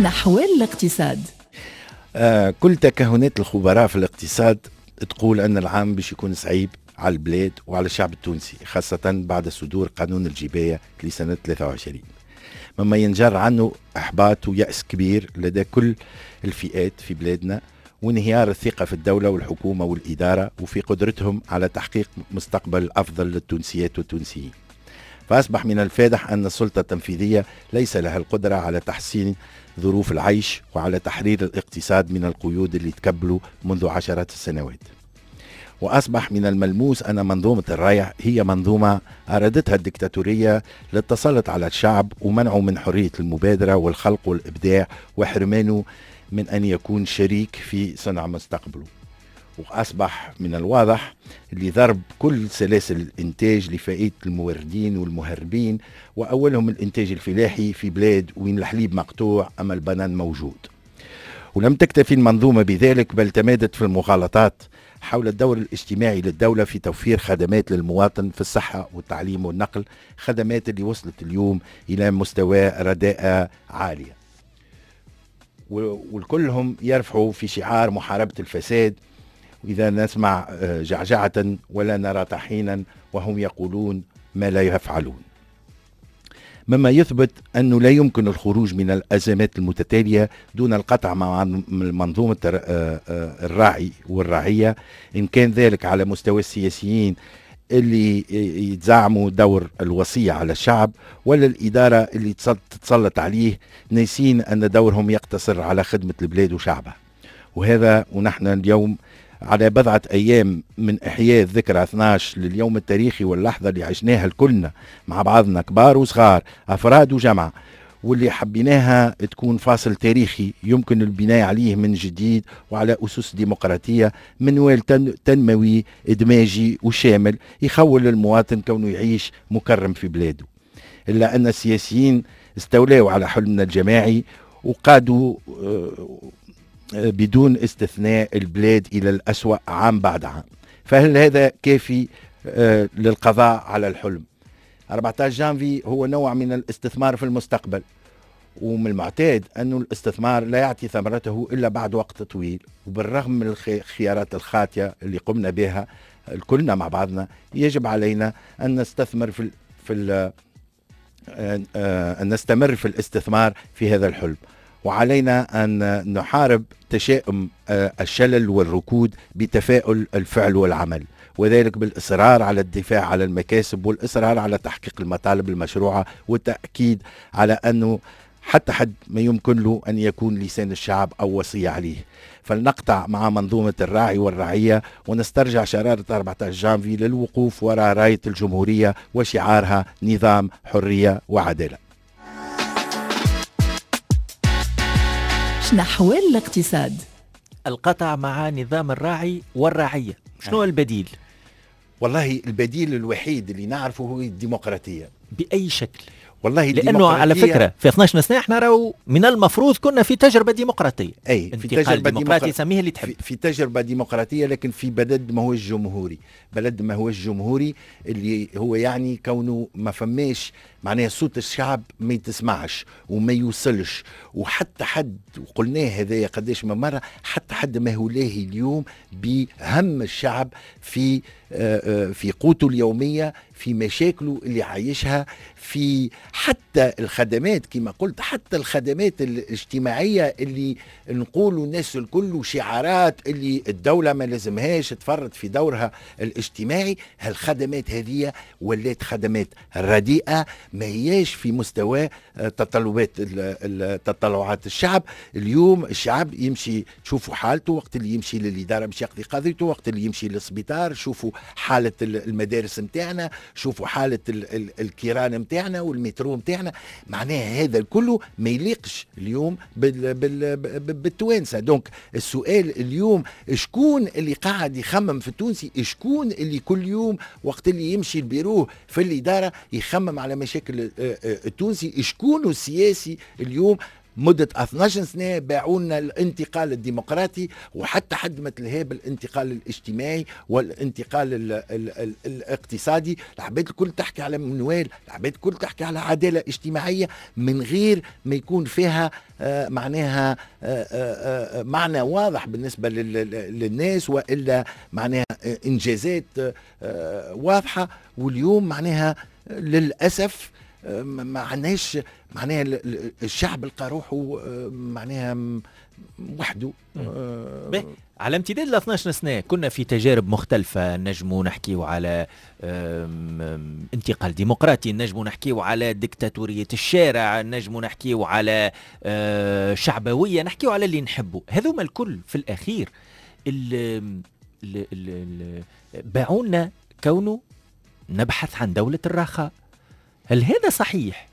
شنحوال الاقتصاد؟ كل تكهنات الخبراء في الاقتصاد تقول أن العام باش يكون صعيب على البلاد وعلى الشعب التونسي، خاصة بعد صدور قانون الجباية لسنة 23، مما ينجر عنه إحباط ويأس كبير لدى كل الفئات في بلادنا، وانهيار الثقة في الدولة والحكومة والإدارة وفي قدرتهم على تحقيق مستقبل أفضل للتونسيات والتونسيين. فأصبح من الفادح أن السلطة التنفيذية ليس لها القدرة على تحسين ظروف العيش وعلى تحرير الاقتصاد من القيود اللي تكبلوا منذ عشرات السنوات. وأصبح من الملموس أن منظومة الريع هي منظومة أرادتها الدكتاتورية للتسلط على الشعب ومنعه من حرية المبادرة والخلق والإبداع وحرمانه من أن يكون شريك في صنع مستقبله. وأصبح من الواضح لضرب كل سلاسل الإنتاج لفائدة الموردين والمهربين، وأولهم الإنتاج الفلاحي في بلاد وين الحليب مقطوع أما البنان موجود. ولم تكتفي المنظومة بذلك، بل تمادت في المغالطات حول الدور الاجتماعي للدولة في توفير خدمات للمواطن في الصحة والتعليم والنقل، خدمات اللي وصلت اليوم إلى مستوى رداءة عالية، والكلهم يرفعوا في شعار محاربة الفساد. وإذا نسمع جعجعة ولا نرى طحينا، وهم يقولون ما لا يفعلون، مما يثبت أنه لا يمكن الخروج من الأزمات المتتالية دون القطع مع منظومة الراعي والرعية، إن كان ذلك على مستوى السياسيين اللي يتزعموا دور الوصية على الشعب، ولا الإدارة اللي تتسلط عليه، ناسين أن دورهم يقتصر على خدمة البلاد وشعبها. وهذا ونحن اليوم على بضعة أيام من إحياء الذكرى 12 لليوم التاريخي واللحظة اللي عشناها الكلنا مع بعضنا، كبار وصغار، أفراد وجمع، واللي حبيناها تكون فاصل تاريخي يمكن البناء عليه من جديد وعلى أسس ديمقراطية، منوال تنموي إدماجي وشامل يخول للمواطن كونه يعيش مكرم في بلاده. إلا أن السياسيين استولوا على حلمنا الجماعي وقادوا بدون استثناء البلاد إلى الأسوأ عام بعد عام. فهل هذا كافي للقضاء على الحلم؟ 14 جانفي هو نوع من الاستثمار في المستقبل، ومن المعتاد أن الاستثمار لا يعطي ثمرته إلا بعد وقت طويل. وبالرغم من الخيارات الخاطئة اللي قمنا بها كلنا مع بعضنا، يجب علينا أن نستثمر أن نستمر في الاستثمار في هذا الحلم، وعلينا أن نحارب تشاؤم الشلل والركود بتفاؤل الفعل والعمل، وذلك بالإصرار على الدفاع على المكاسب والإصرار على تحقيق المطالب المشروعة، والتأكيد على أنه حتى حد ما يمكن له أن يكون لسان الشعب أو وصية عليه. فلنقطع مع منظومة الراعي والرعية ونسترجع شرارة 14 جانفي للوقوف وراء راية الجمهورية وشعارها نظام حرية وعدالة. نحو الاقتصاد؟ القطع مع نظام الراعي والرعية، شنو البديل؟ والله البديل الوحيد اللي نعرفه هو الديمقراطية. بأي شكل؟ والله لأنه على فكرة في 12 سنة احنا راهو من المفروض كنا في تجربة ديمقراطية. أي في تجربة ديمقراطية، سميها اللي تحب، في تجربة ديمقراطية، لكن في بلد ما هوش جمهوري، بلد ما هوش جمهوري اللي هو يعني كونه ما فماش معناها صوت الشعب ما يتسمعش وما يوصلش، وحتى حد، وقلناه هذايا قداش ما مرة، حتى حد ما هو لاهي اليوم بهم الشعب في في قوته اليومية، في مشاكله اللي عايشها، في حتى الخدمات كما قلت، حتى الخدمات الاجتماعية اللي نقولوا الناس الكل وشعارات اللي الدولة ما لازمهاش تفرط في دورها الاجتماعي، هالخدمات هذه ولات خدمات رديئة، ما هياش في مستوى تطلبات تطلعات الشعب. اليوم الشعب يمشي تشوفوا حالته وقت اللي يمشي للإدارة باش يقضي قضيته، وقت اللي يمشي للسبيطار، شوفوا حالة المدارس متاعنا، شوفوا حالة الكيران متاعنا والمترو متاعنا، معناها هذا الكل ما يليقش اليوم بالتوانسة. donc السؤال اليوم شكون اللي قاعد يخمم في التونسي؟ شكون اللي كل يوم وقت اللي يمشي البيروه في الإدارة يخمم على مشاكل التونسي؟ شكون السياسي اليوم مدة 12 سنة باعوا لنا الانتقال الديمقراطي، وحتى حد ما تلهى بالانتقال الاجتماعي والانتقال ال ال ال الاقتصادي. العباد الكل تحكي على منوال، العباد الكل تحكي على عدالة اجتماعية من غير ما يكون فيها معناها معنى واضح بالنسبة للناس، وإلا معناها إنجازات واضحة. واليوم معناها للأسف ما عندناش معناها الشعب لقى روحه معناها وحده. على امتداد ال 12 سنة كنا في تجارب مختلفة، نجموا نحكيو على انتقال ديمقراطي، نجموا نحكيو على ديكتاتورية الشارع، نجموا نحكيو على شعبوية، نحكيو على اللي نحبه. هذوما الكل في الأخير باعونا كونه نبحث عن دولة الرخاء. هل هذا صحيح؟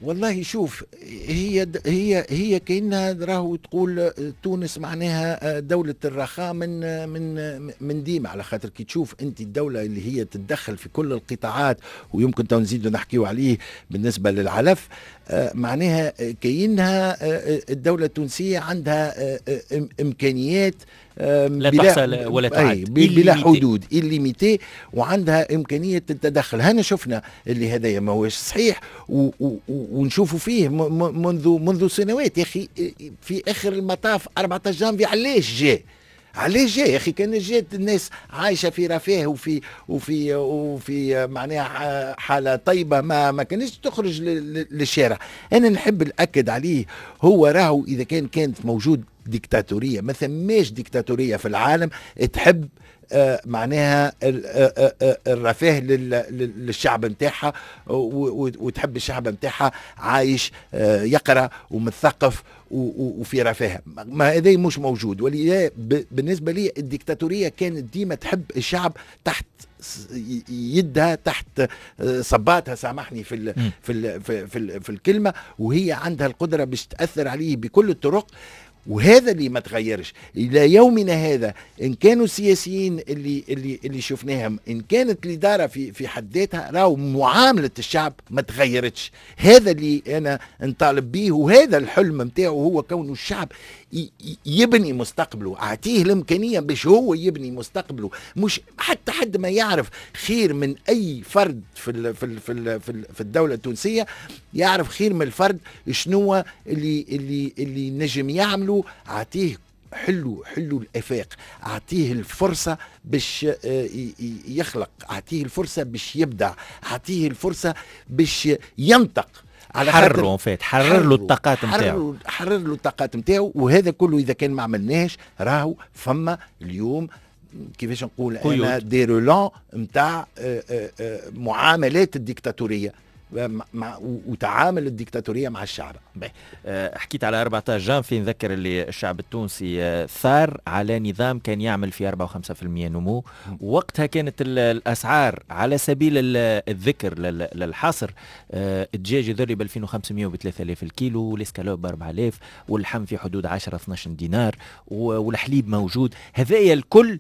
والله شوف، هي هي هي كأنها راهو تقول تونس معناها دولة الرخاء من ديما، على خاطر كي تشوف انت الدولة اللي هي تتدخل في كل القطاعات، ويمكن تو نزيدوا نحكيو عليه بالنسبة للعلف، معناها كأنها الدولة التونسية عندها إمكانيات لا تحصى ولا تعد، بلا حدود، illimitée، وعندها إمكانية التدخل. هنا شفنا اللي هذايا ما هوش صحيح، ونشوفوا فيه منذ سنوات يا أخي. في آخر المطاف 14 جانفي علاش جاء؟ علاش جاء يا اخي؟ كان جات الناس عايشه في رفاه وفي معناها حاله طيبة ما كانش تخرج للشارع. انا نحب ناكد عليه، هو راهو اذا كانت موجود ديكتاتوريه، ما ثماش ديكتاتوريه في العالم تحب معناها الرفاه للشعب نتاعها، وتحب الشعب نتاعها عايش يقرا ومثقف وفي رفاه. ما هذا مش موجود. ولذا بالنسبة لي الديكتاتوريه كانت ديما تحب الشعب تحت يدها، تحت صباتها، سامحني في ال في ال في, في, في الكلمه، وهي عندها القدرة باش تاثر عليه بكل الطرق. وهذا اللي ما تغيرش الى يومنا هذا، ان كانوا السياسيين اللي شفناهم، ان كانت الادارة في حد ذاتها، راهو معاملة الشعب ما تغيرتش. هذا اللي انا نطالب به، وهذا الحلم نتاعو هو كونه الشعب يبني مستقبله، اعطيه الامكانية باش هو يبني مستقبله. مش حتى حد ما يعرف خير من اي فرد في ال في ال في ال في, ال في الدولة التونسية، يعرف خير من الفرد شنو اللي نجم يعمله. اعطيه حلو الافاق، اعطيه الفرصة باش يخلق، اعطيه الفرصة باش يبدع، اعطيه الفرصة باش ينطق. على حرره فات، حرر له الطاقات نتاعو، حرر له الطاقات نتاعو. وهذا كله اذا كان ما عملناش راهو فما اليوم كيفاش نقول انا des relents نتاع معاملات الديكتاتوريه وتعامل الديكتاتورية مع الشعب. حكيت على 14 جانفي، نذكر اللي الشعب التونسي ثار على نظام كان يعمل في 4 و5% نمو. وقتها كانت الأسعار على سبيل الذكر للحصر، الدجاج يذري ب 2500 وب 3000 الكيلو، والاسكالوب ب 4000، واللحم في حدود 10 12 دينار، والحليب موجود. هذايا الكل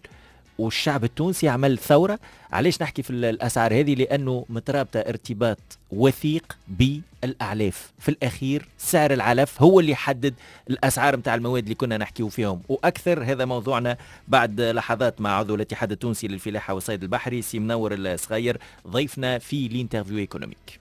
والشعب التونسي عمل ثورة. علاش نحكي في الأسعار هذه؟ لأنه مترابطة ارتباط وثيق بالأعلاف. في الأخير سعر العلف هو اللي يحدد الأسعار متاع المواد اللي كنا نحكيو فيهم وأكثر. هذا موضوعنا بعد لحظات مع عضو الاتحاد التونسي للفلاحة والصيد البحري سي منور الصغير، ضيفنا في l'interview économique.